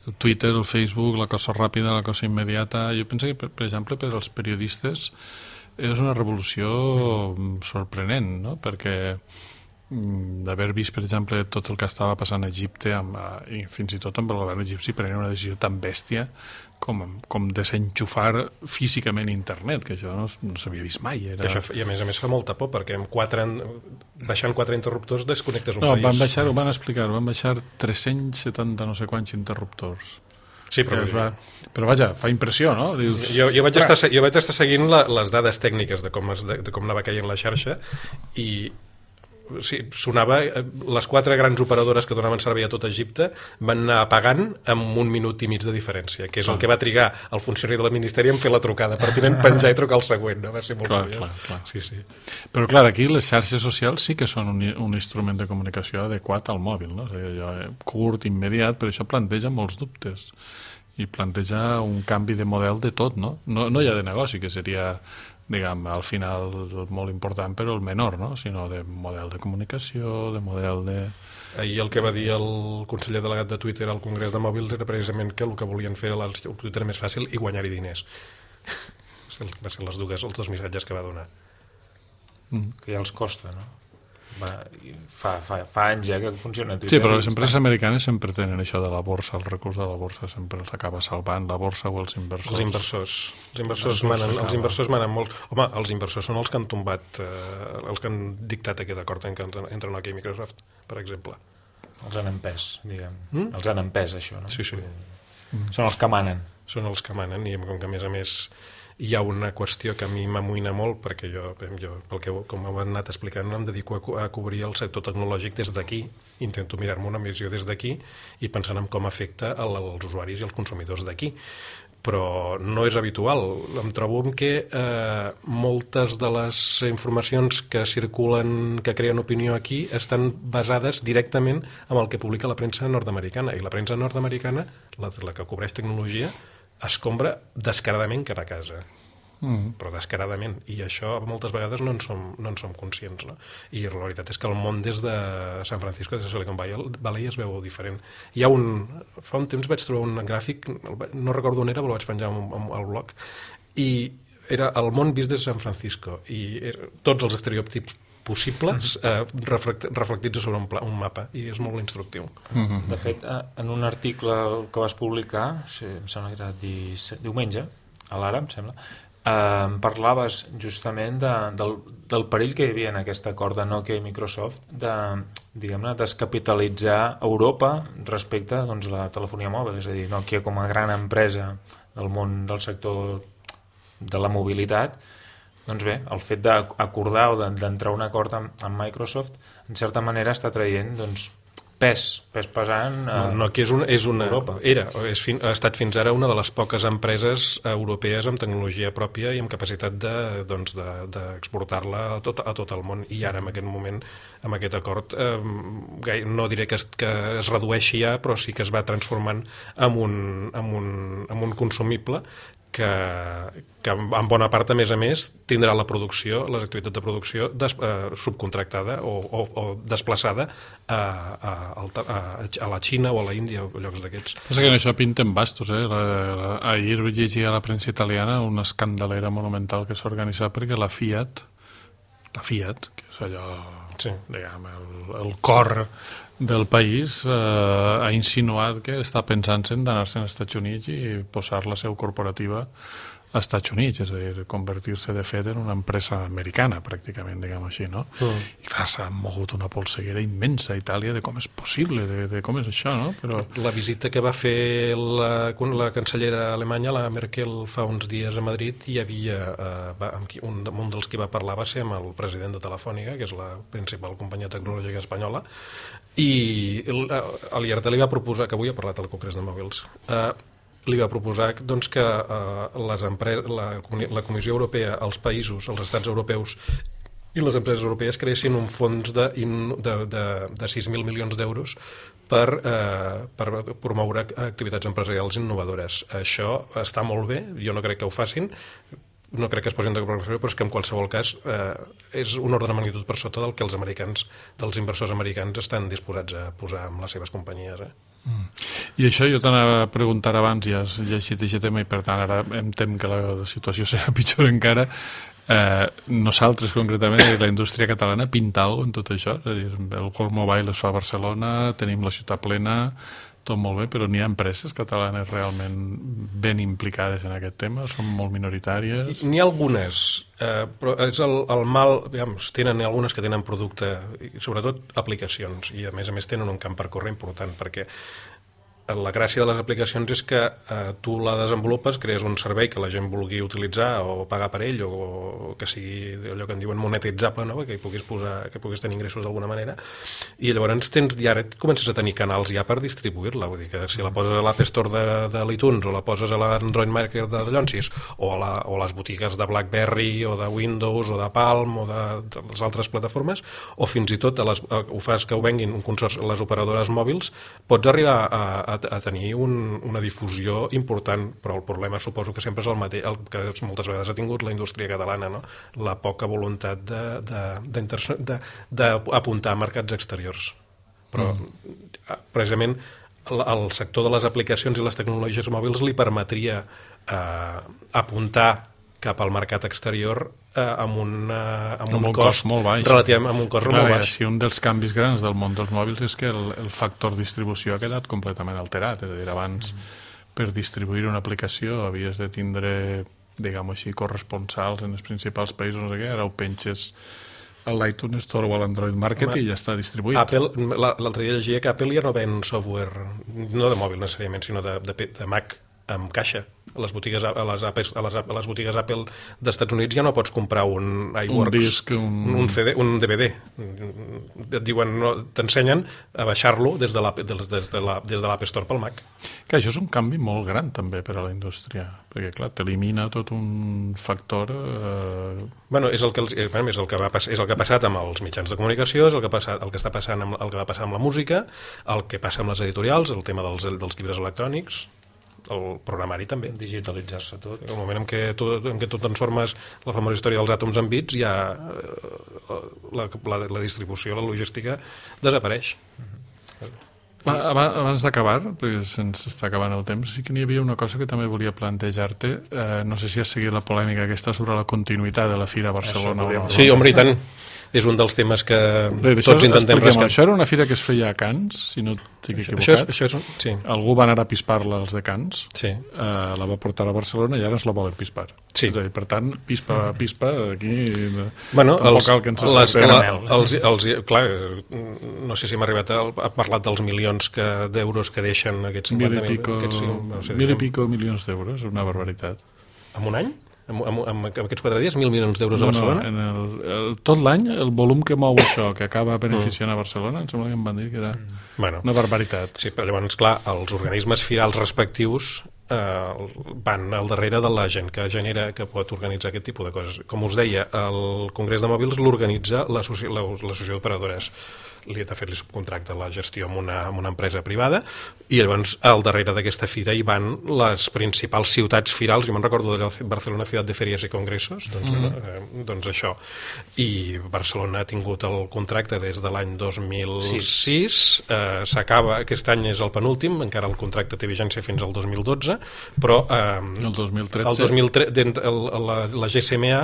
El Twitter, el Facebook, la cosa ràpida, la cosa immediata. Jo penso que, per exemple, per als periodistes és una revolució sorprenent, no? Perquè d'haver vist, per exemple, tot el que estava passant a Egipte i fins i tot amb el govern egipci prenent una decisió tan bèstia com desenxufar físicament internet, que això no s'havia vist mai. I a més fa molta por, perquè baixant 4 interruptors desconnectes un país. Ho van explicar, van baixar 370 no sé quants interruptors. Sí, però vaja, fa impressió, no? Dius, jo vaig estar seguint les dades tècniques de com anava caient la xarxa i sí, sonava, les 4 grans operadores que donaven servei a tot Egipte van anar apagant amb 1 minut i mig de diferència, que és el que va trigar el funcionari del Ministeri en fer la trucada pertinent, penjar i trucar el següent, no? Va ser molt curiós. Clar. Sí, sí. Però clar, aquí les xarxes socials sí que són un instrument de comunicació adequat al mòbil, no? O sigui, curt, immediat, però això planteja molts dubtes i planteja un canvi de model de tot, no? No ja de negoci, que seria, diguem, al final molt important, però el menor, no? Sinó de model de comunicació, de model de... Ahir el que va dir el conseller delegat de Twitter al Congrés de Mòbils era precisament que el que volien fer el Twitter més fàcil i guanyar-hi diners. Va ser els dos missatges que va donar. Que ja els costa, no? Fa anys que funciona Twitter. Sí, però les empreses americanes sempre tenen això de la borsa, el recurs de la borsa sempre s'acaba salvant, la borsa o els inversors. Els inversors manen molt. Home, els inversors són els que han tombat, els que han dictat aquest acord entre Nokia i Microsoft, per exemple. Els han empès, diguem. Els han empès, això, no? Sí. Són els que manen. Són els que manen i com que a més hi ha una qüestió que a mi m'amoïna molt, perquè jo pel que com ho han anat explicant, em dedico a cobrir el sector tecnològic des d'aquí, intento mirar-me una visió des d'aquí i pensant en com afecta als usuaris i als consumidors d'aquí. Però no és habitual. Em trobo que moltes de les informacions que circulen, que creen opinió aquí, estan basades directament en el que publica la premsa nord-americana. I la premsa nord-americana, la que cobreix tecnologia, escombra descaradament cap a casa. Però descaradament. I això moltes vegades no en som conscients, no? I la veritat és que el món des de San Francisco, des de Silicon Valley, es veu diferent. Fa un temps vaig trobar un gràfic, no recordo on era, però el vaig penjar al blog, i era el món vist des de San Francisco, i tots els estereotips possibles reflectits sobre un mapa, i és molt instructiu. De fet, en un article que vas publicar, em sembla que era diumenge, a l'Ara, em sembla, parlaves justament del perill que hi havia en aquest acord de Nokia i Microsoft de, diguem-ne, descapitalitzar Europa respecte a la telefonia mòbil, és a dir, Nokia com a gran empresa del món del sector de la mobilitat. Doncs bé, el fet d'acordar o d'entrar a un acord amb Microsoft, en certa manera està traient pes pesant a Nokia Europa. Ha estat fins ara una de les poques empreses europees amb tecnologia pròpia i amb capacitat d'exportar-la a tot el món, i ara en aquest moment, amb aquest acord, no diré que es redueixi ja, però sí que es va transformant en un consumible que en bona part, a més, tindrà la producció, les activitats de producció subcontractada o desplaçada a la Xina o a la Índia o llocs d'aquests. Pensa que això pinten bastos, ahir llegia a la premsa italiana una escandalera monumental que s'ha organitzat perquè la Fiat, que és allò, sí, diguem, el cor del país, ha insinuat que està pensant-se en d'anar-se als Estats Units i posar la seu corporativa als Estats Units, és a dir, convertir-se de fet en una empresa americana, pràcticament, diguem així, no? I clar, s'ha mogut una polseguera immensa a Itàlia de com és possible, de com és això, no? Però la visita que va fer la cancellera alemanya, la Merkel, fa uns dies a Madrid, hi havia un dels que va parlar va ser amb el president de Telefònica, que és la principal companyia tecnològica espanyola, i l'IRT li va proposar, que avui ha parlat al Congrés de Mòbils, li va proposar que la Comissió Europea, els països, els estats europeus i les empreses europees creessin un fons de 6.000 milions d'euros per promoure activitats empresarials innovadores. Això està molt bé, jo no crec que ho facin, no crec que es posin d'acord, però és que en qualsevol cas és un ordre de magnitud per sota del que dels inversors americans estan disposats a posar amb les seves companyies. I això jo t'anava a preguntar abans, ja has llegit aquest tema i per tant ara em tem que la situació serà pitjor encara. Nosaltres concretament, la indústria catalana, pinta alguna cosa en tot això? És a dir, el World Mobile es fa a Barcelona, tenim la ciutat plena, tot molt bé, però n'hi ha empreses catalanes realment ben implicades en aquest tema? Són molt minoritàries? N'hi ha algunes, però és el mal, tenen algunes que tenen producte, i sobretot aplicacions, i a més tenen un camp per córrer important, perquè la gràcia de les aplicacions és que tu la desenvolupes, crees un servei que la gent vulgui utilitzar o pagar per ell, o que sigui allò que en diuen monetitzable, no? que puguis tenir ingressos d'alguna manera, i llavors ara comences a tenir canals ja per distribuir-la, vull dir que si la poses a l'App Store de l'iTunes o la poses a l'Android Market de Llonsis o a les botigues de BlackBerry o de Windows o de Palm o de les altres plataformes, o fins i tot ho fas que ho venguin un consorci, les operadores mòbils, pots arribar a tenir una difusió important, però el problema suposo que sempre és el mateix, el que moltes vegades ha tingut la indústria catalana, no? La poca voluntat d'apuntar a mercats exteriors. Però precisament el sector de les aplicacions i les tecnologies mòbils li permetria apuntar cap al mercat exterior amb un cost molt baix. Relativament amb un cost molt baix. Si un dels canvis grans del món dels mòbils és que el factor distribució ha quedat completament alterat, és a dir, abans per distribuir una aplicació havies de tindre, diguem-ho així, corresponsals en els principals països, no sé què, ara ho penges a l'iTunes Store o a l'Android Market i ja està distribuït. L'altre dia llegia que Apple ja no ven software, no de mòbil necessàriament, sinó de Mac, amb caixa. A les botigues Apple d'Estats Units ja no pots comprar un iWorks, un disc, un CD, un DVD. Et diuen, t'ensenyen a baixar-lo des de l'App Store pel Mac. Que això és un canvi molt gran també per a la indústria, perquè clar, t'elimina tot un factor... És el que ha passat amb els mitjans de comunicació, és el que va passar amb la música, el que passa amb les editorials, el tema dels llibres electrònics, el programari també, digitalitzar-se tot. El moment en què tu transformes la famosa història dels àtoms en bits, ja la distribució, la logística desapareix. Abans d'acabar, perquè se'ns està acabant el temps, sí que n'hi havia una cosa que també volia plantejar-te. No sé si has seguit la polèmica aquesta sobre la continuïtat de la Fira a Barcelona. Sí, home, i tant. És un dels temes que tots intentem rescatar. Això era una fira que es feia a Cans, si no estic equivocat. Sí. Algú va anar a pispar-la als de Cans, sí. La va portar a Barcelona i ara ens la volen pispar. Sí. És a dir, per tant, pispa, aquí... Bueno, cal que ens clar, no sé si hem arribat a parlar dels milions d'euros que deixen aquests 50.000... Mil i pico milions d'euros, una barbaritat. En un any? En aquests 4 dies, 1.000 milions d'euros a Barcelona? No, tot l'any, el volum que mou això, que acaba beneficiant a Barcelona, em sembla que em van dir que era una barbaritat. Sí, però llavors, clar, els organismes firals respectius van al darrere de la gent que genera, que pot organitzar aquest tipus de coses. Com us deia, el Congrés de Mòbils l'organitza l'Associació d'Operadores. De fet, li subcontracta la gestió amb una empresa privada, i llavors al darrere d'aquesta fira hi van les principals ciutats firals. Jo me'n recordo de Barcelona Ciutat de Ferias i Congressos, doncs això. I Barcelona ha tingut el contracte des de l'any 2006, s'acaba, aquest any és el penúltim, encara el contracte té vigència fins al 2012, però el 2013 la GSMA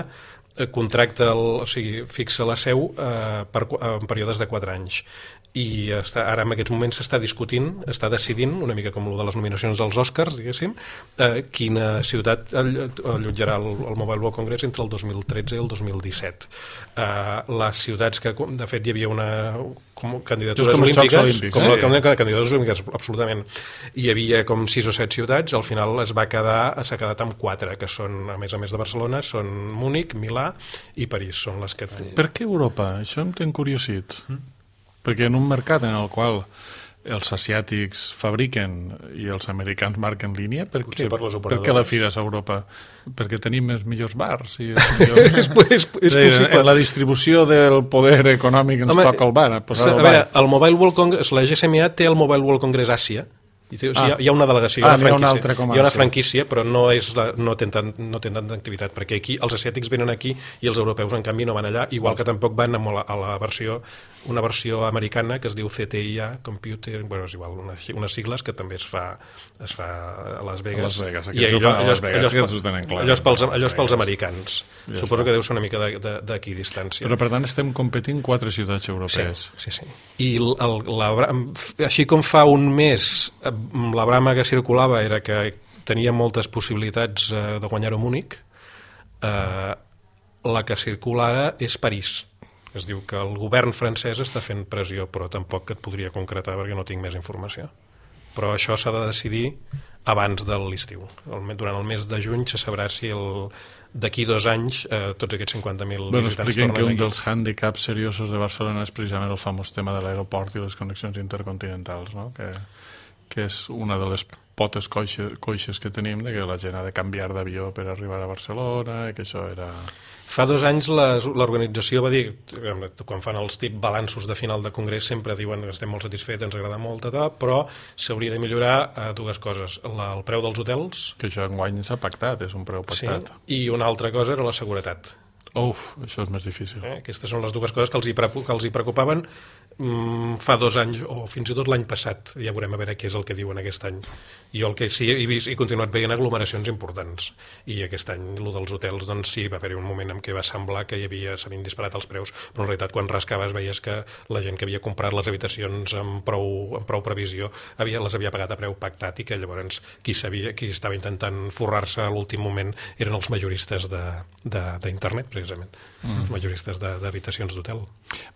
contracta, fixa la seu en períodes de 4 anys, i ara en aquests moments s'està discutint, està decidint, una mica com el de les nominacions dels Oscars, diguéssim, quina ciutat allotjarà el Mobile World Congress entre el 2013 i el 2017. Les ciutats que, de fet, hi havia candidatures olímpiques, candidatures olímpiques, absolutament. Hi havia com 6 o 7 ciutats, al final s'ha quedat amb 4, que són, a més de Barcelona, són Múnich, Milà i París, són les que... Per què Europa? Això em té encuriosit. Perquè en un mercat en el qual els asiàtics fabriquen i els americans marquen línia, per què la fira és a Europa? Perquè tenim els millors bars i és possible. En la distribució del poder econòmic ens toca el bar. A veure, el Mobile World Congress, la GSMA té el Mobile World Congress Àsia. Hi ha una delegació, hi ha una franquícia, però no té tanta activitat, perquè aquí els asiàtics venen aquí i els europeus en canvi no van allà, igual que tampoc van a una versió americana que es diu CTIA Computer, és igual, unes sigles que també es fa a Las Vegas, i allò és pels americans. Suposo que deu ser una mica d'aquí distància. Però per tant estem competint 4 ciutats europees. Sí. I així com fa un mes la brama que circulava era que tenia moltes possibilitats de guanyar-ho a Múnich, la que circula ara és París. Es diu que el govern francès està fent pressió, però tampoc et podria concretar perquè no tinc més informació. Però això s'ha de decidir abans de l'estiu. Durant el mes de juny se sabrà si d'aquí 2 anys tots aquests 50.000 visitants tornen aquí. Expliquem que un dels hàndicaps seriosos de Barcelona és precisament el famós tema de l'aeroport i les connexions intercontinentals, no? Que és una de les potes coixes que tenim, de que la gent ha de canviar d'avió per arribar a Barcelona, i que això era... Fa 2 anys l'organització va dir, quan fan els balanços de final de congrés, sempre diuen que estem molt satisfets, ens agrada molt, però s'hauria de millorar 2 coses. El preu dels hotels... Que això enguany s'ha pactat, és un preu pactat. Sí, i una altra cosa era la seguretat. Això és més difícil. Aquestes són les 2 coses que els hi preocupaven fa 2 anys, o fins i tot l'any passat. Ja veurem a veure què és el que diuen aquest any. Jo el que sí he vist, he continuat veient aglomeracions importants, i aquest any el dels hotels, doncs sí, va haver-hi un moment en què va semblar que s'havien disparat els preus, però en realitat quan rascaves veies que la gent que havia comprat les habitacions amb prou previsió les havia pagat a preu pactat, i que llavors qui estava intentant forrar-se a l'últim moment eren els majoristes d'internet, precisament, els majoristes d'habitacions d'hotel.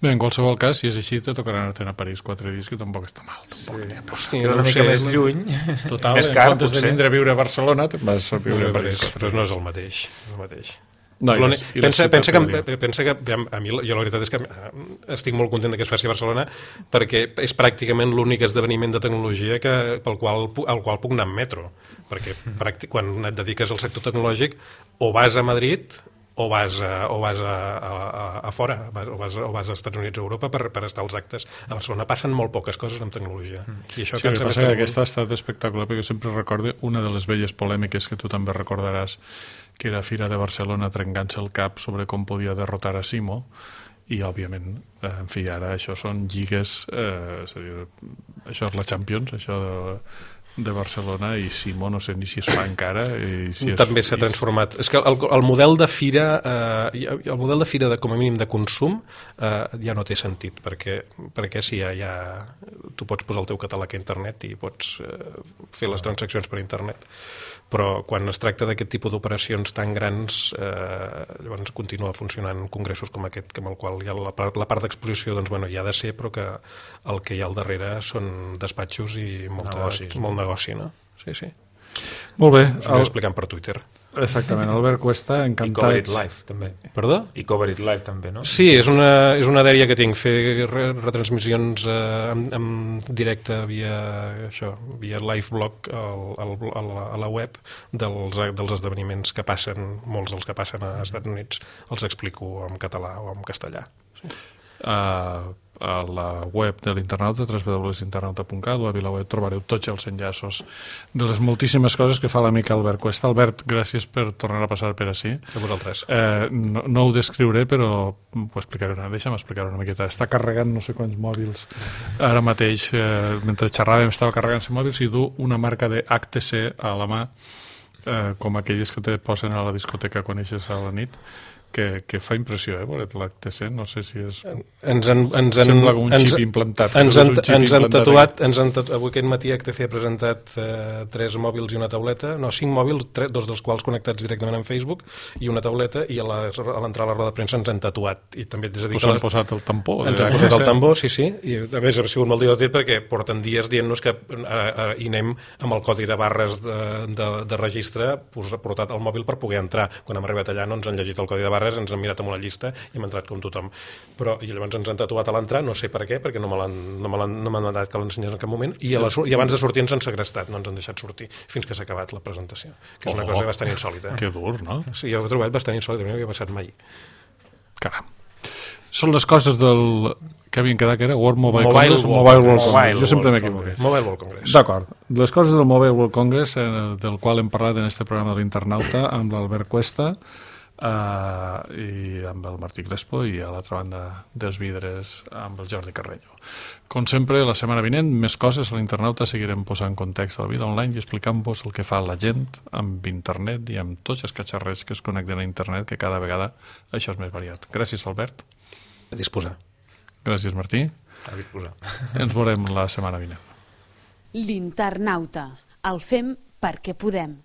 Bé, en qualsevol cas, si és així, te tocarà anar-te'n a París 4 dies, que tampoc està mal. Hòstia, una mica més lluny. Total, més car, en comptes de vindre a viure a Barcelona, te'n vas a viure a París. Però no és el mateix. Pensa que a mi la veritat és que estic molt content que es faci a Barcelona, perquè és pràcticament l'únic esdeveniment de tecnologia al qual puc anar en metro, perquè quan et dediques al sector tecnològic o vas a Madrid o vas a fora, o vas als Estats Units o Europa per estar als actes. A Barcelona passen molt poques coses amb tecnologia. I això sí, el que passa que aquesta ha estat espectacular, perquè sempre recordo una de les velles polèmiques que tu també recordaràs, que era Fira de Barcelona trencant-se el cap sobre com podia derrotar a Simo, i òbviament, en fi, ara això són lligues, és a dir, això és la Champions, això de Barcelona, i Simó no sé ni si es fa encara i si també s'ha transformat. És que el model de fira com a mínim de consum ja no té sentit, perquè si ja tu pots posar el teu catàleg a internet i pots fer les transaccions per internet, però quan es tracta d'aquest tipus d'operacions tan grans llavors continua funcionant congressos com aquest, amb el qual hi ha la part d'exposició, doncs bueno, hi ha de ser, però que el que hi ha al darrere són despatxos i molt negoci, no? Sí. Molt bé. Us ho aniré explicant per Twitter. Exactament, Albert Cuesta, encantats. I Cover It Live, també. Perdó? I Cover It Live, també, no? Sí, és una dèria que tinc, fer retransmissions en directe via live blog a la web dels esdeveniments que passen, molts dels que passen als Estats Units, els explico en català o en castellà. Sí. A la web de l'Internauta, www.internauta.cat, o a VilaWeb trobareu tots els enllaços de les moltíssimes coses que fa l'amic Albert Cuesta. Albert, gràcies per tornar a passar per ací. A vosaltres. No ho descriuré, però deixa'm explicar una miqueta. Està carregant no sé quants mòbils. Ara mateix, mentre xerràvem, estava carregant-se mòbils i du una marca de HTC a la mà, com aquelles que te posen a la discoteca quan eixes a la nit, que fa impressió, veure't l'HTC, no sé si és... Sembla un xip implantat. Ens han tatuat, avui aquest matí HTC ha presentat 3 mòbils i una tauleta, 5 mòbils, 2 dels quals connectats directament amb Facebook, i una tauleta, i a l'entrar a la roda de premsa ens han tatuat. I també t'he de dir que han posat el tampó. Ens han posat el tampó, sí, i a més ha sigut molt divertit perquè porten dies dient-nos que hi anem amb el codi de barres de registre portat al mòbil per poder entrar. Quan hem arribat allà no ens han llegit el codi de barres, ens han mirat amb una llista i hem entrat com tothom. I llavors ens han tatuat a l'entrar, no sé per què, perquè no m'han mandat que l'ensenyés en cap moment, i abans de sortir ens han segrestat, no ens han deixat sortir fins que s'ha acabat la presentació, que és una cosa bastant insòlita. Que dur, no? Sí, jo ho he trobat bastant insòlita, no havia passat mai. Caram. Són les coses que havien quedat, que era World Mobile Congress. Jo sempre m'equivoqué. Mobile World Congress. D'acord. Les coses del Mobile World Congress, del qual hem parlat en este programa de l'Internauta, amb l'Albert Cuesta, i amb el Martí Crespo, i a l'altra banda dels vidres amb el Jordi Carreño. Com sempre, la setmana vinent, més coses a l'Internauta. Seguirem posant context a la vida online i explicant-vos el que fa la gent amb internet i amb tots els catxarrers que es connecten a internet, que cada vegada això és més variat. Gràcies, Albert. A disposar. Gràcies, Martí. A disposar. Ens veurem la setmana vinent. L'Internauta. El fem perquè podem.